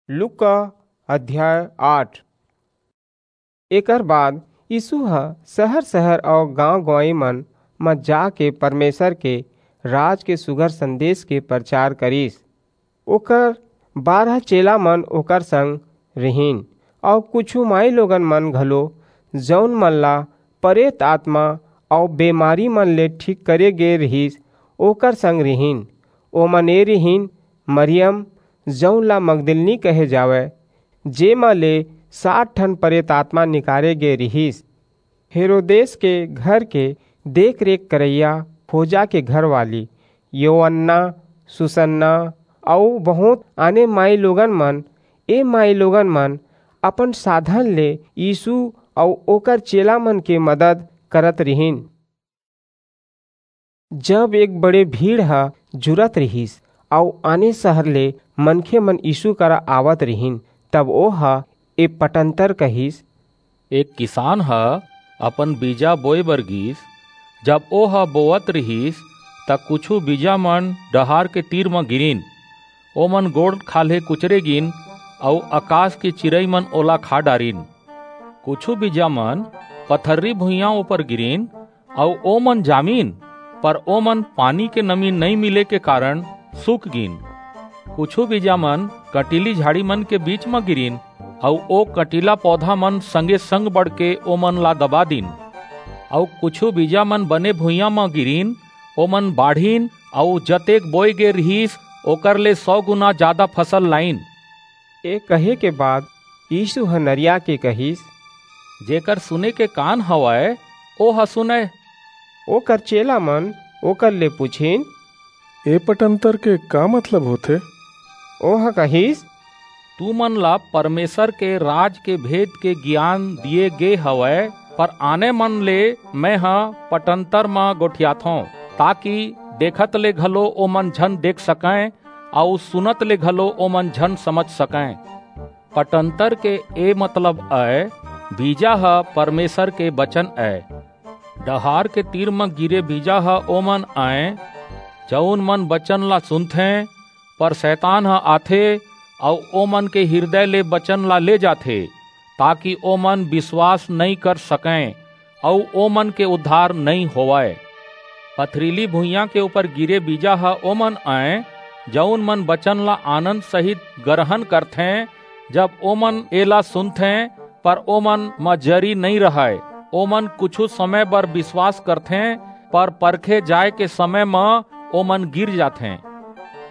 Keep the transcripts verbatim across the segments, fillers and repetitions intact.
लूका अध्याय आठ। एकर बाद यीसू ह सहर-सहर अऊ गांव-गंवई मन म जाके परमेसर के राज के सुघर संदेस के परचार करिस। ओकर बारह चेला मन ओकर संग रिहिन, अऊ कुछू माईलोगन मन घलो, जऊन मन ला परेत आतमा अऊ बेमारी मन ले ठीक करे गे रिहिस, ओकर संग रिहिन। ओमन ए रिहिन, मरियम, जऊन ला मगदलिनी कहे जावय, जेमा ले सात ठन परेत आतमा निकारे गे रिहिस। हेरोदेस के घर के देख-रेख करइया खोजा के घरवाली, योअन्ना, सुसन्ना अऊ बहुंत आने माईलोगन मन, ए माईलोगन मन अपन साधन ले यीसू अऊ ओकर चेला मन के मदद करत रिहिन। जब एक बड़े भीड़ ह जुरत रिहिस, अऊ आने सहर ले मनखे मन यीसू करा आवत रिहिन, तब ओह ए पटंतर कहिस, एक किसान ह अपन बीजा बोय बर गीस। जब ओह बोवत रिहिस, त कुछू बीजा मन डहार के तीर म गिरिन। ओमन गोड़ खाल्हे कुचरे गिन, अऊ अकास के चिरई मन ओला खा डारिन। कुछू बीजा मन पथर्री भुइयां ऊपर गिरिन, अऊ ओमन जामिन, पर ओमन पानी के नमी नइं मिले के कारन सूख गिन। कुछू बीजा मन कंटीली झाड़ी मन के बीच म गिरिन, अऊ ओ कंटीला पौधा मन संगे-संग बढ़के ओमन ला दबा दीन। अऊ कुछू बीजा मन बने भुइयां म गिरिन, ओमन बाढ़िन, अऊ जतेक बोय गे रिहिस, ओकर ले सौ गुना जादा फसल लाइन। ए कहे के बाद यीसू ह नरिया के कहिस, जेकर सुने के कान हवय, ओह सुनय। ओकर चेला मन ओकर ले पुछिन, ए पटंतर के का मतलब होथे? ओह कहिस, तुमन ला परमेसर के राज के भेद के गियान दिये गे हवय, पर आने मन ले मेंह पटंतर म गोठियाथंव, ताकि देखत ले घलो ओमन झन देख सकंय, अऊ सुनत ले घलो ओमन झन समझ सकंय। पटंतर के ए मतलब अय, बीजा ह परमेसर के बचन अय। डहार के तीर म गिरे बीजा ह ओमन अय, जऊन मन बचन ला सुनथें, पर सैतान ह आथे अऊ ओमन के हिरदय ले बचन ला ले जाथे, ताकि ओमन बिसवास नइं कर सकंय अऊ ओमन के उद्धार नइं होवय। पथरीली भुइयां के ऊपर गिरे बीजा ह ओमन अय, जऊन मन बचन ला आनंद सहित गरहन करथें। जब ओमन एला सुनथें, पर ओमन म जरी नइं रहय। ओमन कुछू समय बर बिसवास करथें, पर परखे जाय के समय म ओमन गिर जाथें।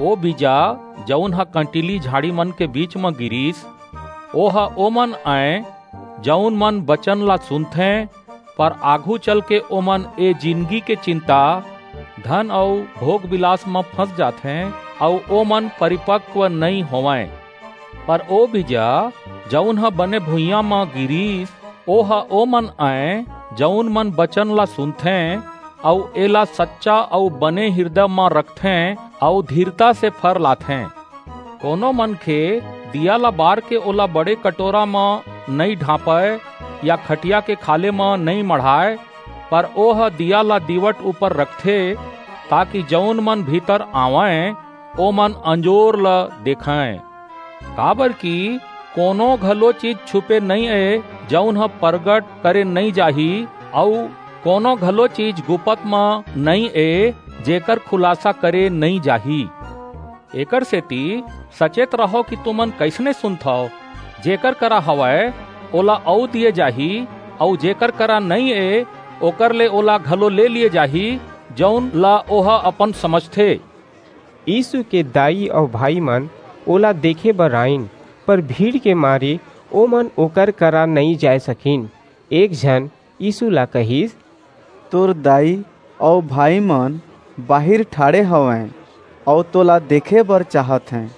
ओ बीजा, जऊन ह कंटीली झाड़ी मन के बीच म गिरिस, ओह ओमन अय, जऊन मन बचन ला सुनथें, पर आघू चलके ओमन ए जिनगी के चिंता, धन अऊ भोग-बिलास म फंस जाथें, अऊ ओमन परिपक्व नइं होवंय। पर ओ बीजा, जऊन ह बने भुइयां म गिरिस, ओह ओमन अय, जऊन मन बचन ला सुनथें, अऊ एला सच्चा अऊ बने हिरदय म रखथें, अऊ धीरता से फर लाथें। कोनो मनखे दिया ला बार के ओला बड़े कटोरा म नइं ढांपय, या खटिया के खाल्हे म नइं मढ़ाय, पर ओह दिया ला दीवट ऊपर रखथे, ताकि जऊन मन भीतर आवंय, ओमन अंजोर ल देखंय। काबरकि कोनो घलो चीज छुपे नइं ए, जऊन ह परगट करे नइं जाही, अऊ कोनो घलो चीज गुपत म नइं ए, जेकर खुलासा करे नइं जाही। एकरसेति सचेत रहव कि तुमन कइसने सुनथव। जेकर करा हवय, ओला अऊ दिये जाही, अऊ जेकर करा नइं ए, ओकर ले ओला घलो ले लिये जाही, जऊन ला ओह अपन समझथे। यीसू के दाई अऊ भाईमन ओला देखे बर आईन, पर भीड़ के मारे ओमन ओकर करा नइं जाय सकिन। एक झन यीसू ला कहिस, तोर दाई अऊ भाईमन बाहिर ठाढ़े हवंय, अऊ तोला देखे बर चाहत हें।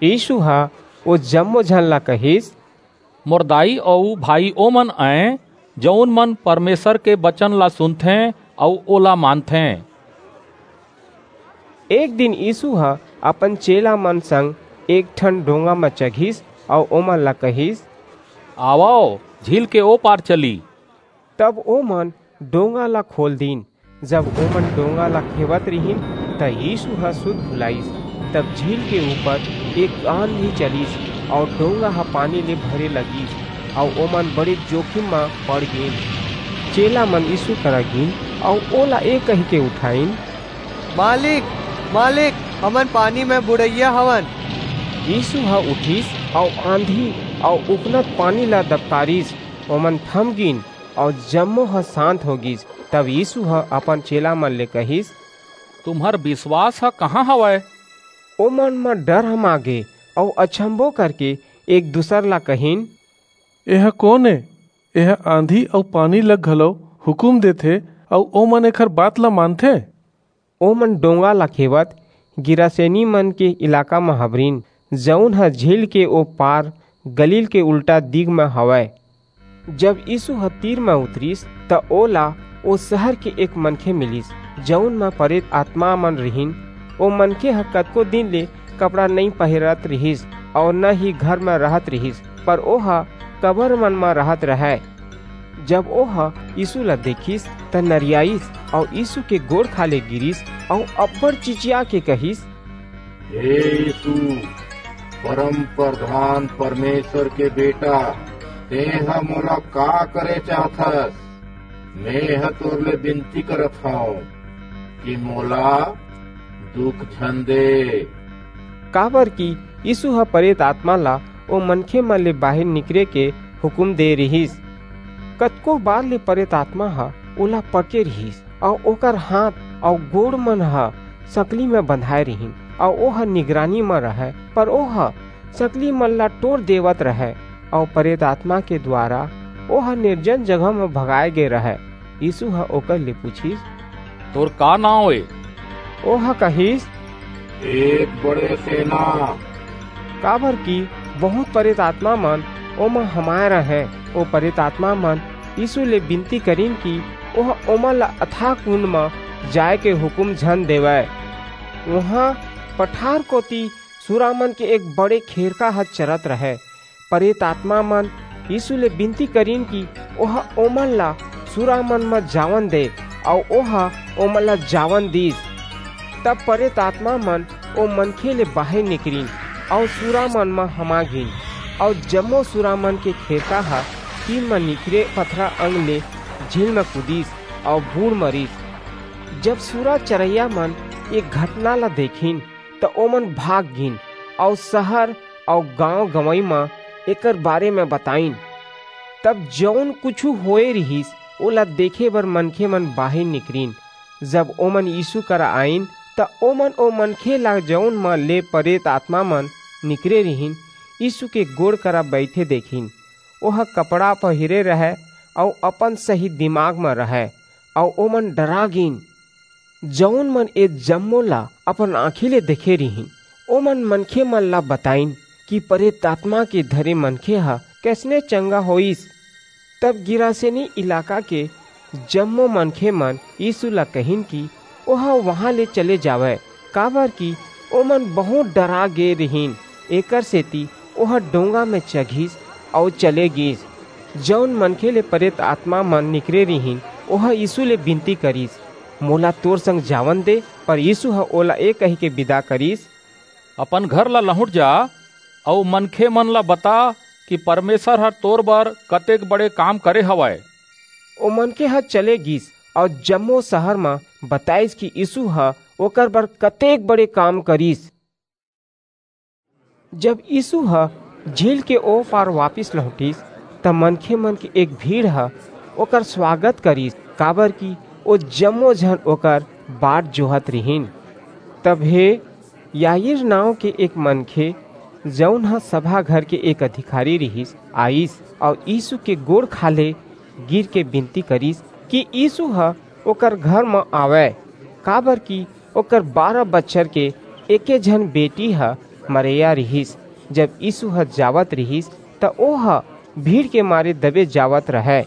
यीसू ह ओ जम्मो झन ला कहिस, मोर दाई अऊ भाई ओमन अंय, जऊन मन परमेसर के बचन ला सुनथें अऊ ओला मानथें। एक दिन यीसू ह अपन चेला मन संग एक ठन डोंगा म चघिस अऊ ओमन ला कहिस, आवव, झील के ओ पार चली। तब ओमन डोंगा ला खोल दीन। जब ओमन डोंगा ला खेवत रिहिन, त यीसू ह सुध भुलाईस। तब झील के ऊपर एक आंधी चलिस, अऊ डोंगा ह पानी ले भरे लगिस, अऊ ओमन बड़े जोखिम म पड़ गेन। चेला मन यीसू करा गीन, अऊ ओला ए कहिके उठाईन, "मालिक, मालिक, हमन पानी म बुड़इया हवन।" यीसू ह उठिस, अऊ आंधी अऊ उफनत पानी ला दबकारिस, ओमन थम गीन, अऊ जम्मो ह सांत हो गीस। तब यीसू ह अपन चेला मन ले कहिस, "तुम्हर बिसवास ह कहां हवय?" ओमन म डर हमा गे, अऊ अचंभो करके एक दूसर ला कहिन, "एह कोन ए? एह आंधी अऊ पानी ल घलो हुकूम देथे, अऊ ओमन एखर बात ल मानथें।" ओमन डोंगा ला खेवत गिरासेनी मन के इलाका म हबरिन, जऊन ह झील के ओ पार गलील के उल्टा दिग म हवय। जब यीसू ह तीर म उतरिस, त ओला ओ सहर के एक मनखे मिलिस, जऊन म परेत आतमा मन रिहिन। ओ मनखे ह कतको दिन ले कपड़ा नइं पहिरत रिहिस अऊ न ही घर म रहत रिहिस, पर ओह कबर मन म रहत रहय। जब ओह यीसू ला देखिस, त नरियाईस अऊ यीसू के गोड़ खाल्हे गिरिस अऊ अब्बड़ चिचिया के कहिस, "हे यीसू, परम परधान परमेसर के बेटा, तेंह मोला का करे चाहथस? मेंह तोर ले बिनती करत हंव कि मोला दुख झन दे।" काबरकि यीसू ह परेत आतमा ला ओ मनखे मन ले बाहिर निकरे के हुकूम दे रिहिस। कतको बार ले परेत आतमा ह ओला पकड़े रिहिस, अऊ ओकर हांथ अऊ गोड़ मन ह संकली म बंधाय रिहिन, अऊ ओह निगरानी म रहय, पर ओह संकली मन ला टोर देवत रहय, अऊ परेत आतमा के दुवारा ओह निरजन जगह म भगाय गे रहय। यीसू ह ओकर ले पुछिस, "तोर का नांव ए?" ओह कहिस, "एक बड़े सेना।" काबरकि बहुंत परेत आतमा मन ओमा हमाय रहंय। ओ परेत आतमा मन यीसू ले बिनती करिन कि ओह ओमन ला अथाह कुंड म जाय के हुकूम झन देवय। उहां पठार कोति सुरामन के एक बड़े खेरका ह चरत रहय। परेत आतमा मन यीसू ले बिनती करिन कि ओह ओमन ला सुरामन म जावन दे, अऊ ओह ओमन ला जावन दीस। तब परेत आतमा मन ओ मनखे ले बाहिर निकरिन, अऊ सुरामन म हमा गीन, अऊ जम्मो सुरामन के खेरका ह तीर म निकरे पथरा अंग ले झील म कूदिस, अऊ बूड़ मरिस। जब सुरा चरइया मन ए घटना ला देखिन, त ओमन भाग गीन, अऊ सहर अऊ गांव गंवई म एकर बारे म बताईन। तब जऊन कुछू होय रिहिस, ओला देखे बर मनखे मन बाहिर निकरिन। जब ओमन यीसू करा आईन, त ओमन ओ मनखे ला, जऊन म ले परेत आतमा मन निकरे रिहिन, यीसू के गोड़ करा बईठे देखिन। ओह कपड़ा पहिरे रहय अऊ अपन सही दिमाग म रहय, अऊ ओमन डरा गीन। जऊन मन ए जम्मो ला अपन आंखी ले देखे रिहिन, ओमन मनखे मन ला बताईन कि परेत आतमा के धरे मनखे ह कइसने चंगा होईस। तब गिरासेनी इलाका के जम्मो मनखे मन यीसू ला कहिन कि ओह उहां ले चले जावय, काबरकि ओमन बहुंत डरा गे रिहिन। एकरसेति ओह डोंगा म चघिस अऊ चले गीस। जऊन मनखे ले परेत आतमा मन निकरे रिहिन, ओह यीसू ले बिनती करिस, "मोला तोर संग जावन दे।" पर यीसू ह ओला ए कहिके बिदा करिस, "अपन घर ला लहुंट जा, अऊ मनखे मन ला बता कि परमेसर ह तोर बर कतेक बड़े काम करे हवय।" ओ मनखे ह चले गीस, अऊ जम्मो सहर म बताईस कि यीसू ह ओकर बर कतेक बड़े काम करिस। जब यीसू ह झील के ओ पार वापिस लहुंटिस, त मनखे मन के एक भीड़ ह ओकर सुवागत करिस, काबरकि ओ जम्मो झन ओकर बाट जोहत रिहिन। तभे याईर नांव के एक मनखे, जऊन ह सभा घर के एक अधिकारी रिहिस, आईस अऊ यीसू के गोड़ खाल्हे गिरके बिनती करिस कि यीसू ह ओकर घर म आवय, काबरकि ओकर बारह बछर के एके झन बेटी ह मरेया रिहिस। जब यीसू ह जावत रिहिस, त ओह भीड़ के मारे दबे जावत रहय।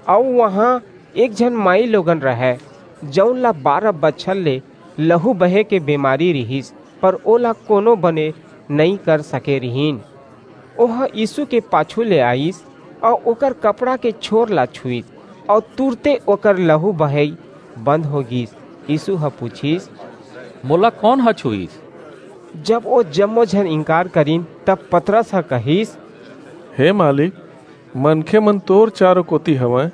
अऊ उहां एक झन माईलोगन रहय, जऊन ला बारह बछर ले लहू बहे के बेमारी रिहिस, पर ओला कोनो बने नइं कर सके रिहिन। ओह यीसू के पाछू ले आईस अऊ ओकर कपड़ा के छोर ला छुईस, अऊ तुरते ओकर लहू बहई बंद हो गीस। यीसू ह पुछिस, "मोला कोन ह छुईस?" जब ओ जम्मो झन इंकार करिन, तब पतरस ह कहिस, "हे मालिक, मनखे मन तोर चारों कोति हवंय,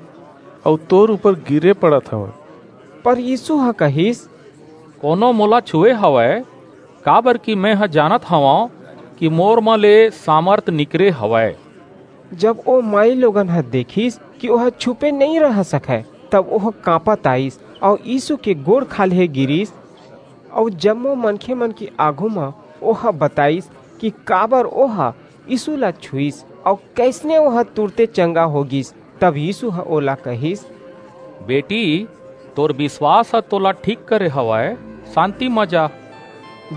अऊ तोर ऊपर गिरे पड़त हवंय।" पर यीशु ह कहिस, "कोनो मोला छुए हवय, काबर कि मैं ह जानत हवंव कि मोर म ले सामर्थ निकरे हवय।" जब ओ माई लोगन ह देखिस कि ओह छुपे नइं रह सकय, तब ओह कांपत आईस अऊ यीशु के गोड़ खाल्हे गिरिस, अऊ जम्मो मनखे मन के आघू म ओह बताईस कि काबर ओह यीशु ला छुईस अऊ कइसने ओह तुरते चंगा हो गीस। तब यीशु ह ओला कहिस, "बेटी, तोर बिसवास ह तोला ठीक करे हवय, सांति म जा।"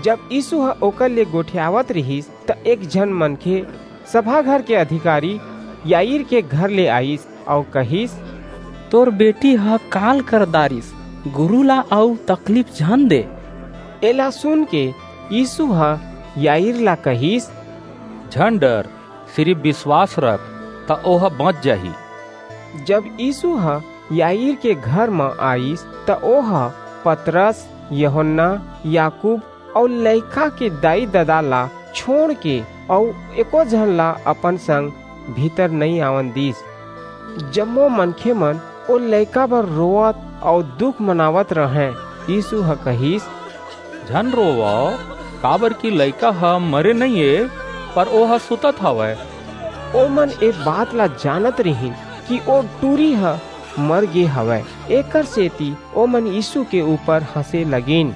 जब यीशु ह ओकर ले गोठियावत रिहिस, त एक झन मनखे सभा घर के अधिकारी याईर के घर ले आईस अऊ कहिस, "तोर बेटी ह काल कर दारिस, गुरु ला अऊ तकलीफ झन दे।" एला सुन के यीशु ह याईर ला कहिस, "झन डर, सिरिफ बिसवास रख, त ओह बच जाही।" जब यीशु ह याईर के घर म आईस, त ओह पतरस, यूहन्ना, याकूब अऊ लइका के दाई-ददा ला छोंड़ के अऊ एको झन ला अपन संग भीतर नइं आवन दीस। जम्मो मनखे मन ओ लइका बर रोवत अऊ दुख मनावत रहंय। यीशु ह कहिस, "झन रोवव, काबर कि लइका ह मरे नइं ए, पर ओह सुतत हवय।" ओमन ए बात ला जानत रिहिन कि ओ टूरी ह मर गे हवय, एकर सेती ओमन यीशु के ऊपर हंसे लगिन।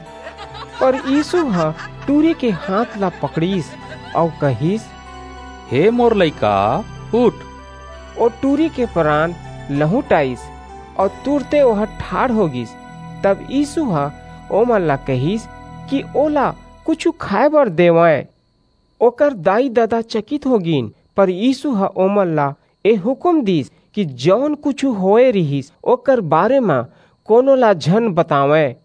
पर यीशु ह टूरी के हाथ ला पकड़िस अऊ कहिस, "हे मोर लइका, उठ।" ओ टूरी के प्राण लहुट आईस अऊ तुरते ओह ठाढ़ हो गीस। तब यीशु ह ओमन ला कहिस कि ओला कुछू खाय बर देवंय। ओकर दाई-ददा चकित हो गीन, पर यीशु ह ओमन ला ए हुकूम दीस कि जऊन कुछू होए रिहिस, ओकर बारे म कोनो ला झन बतावंय।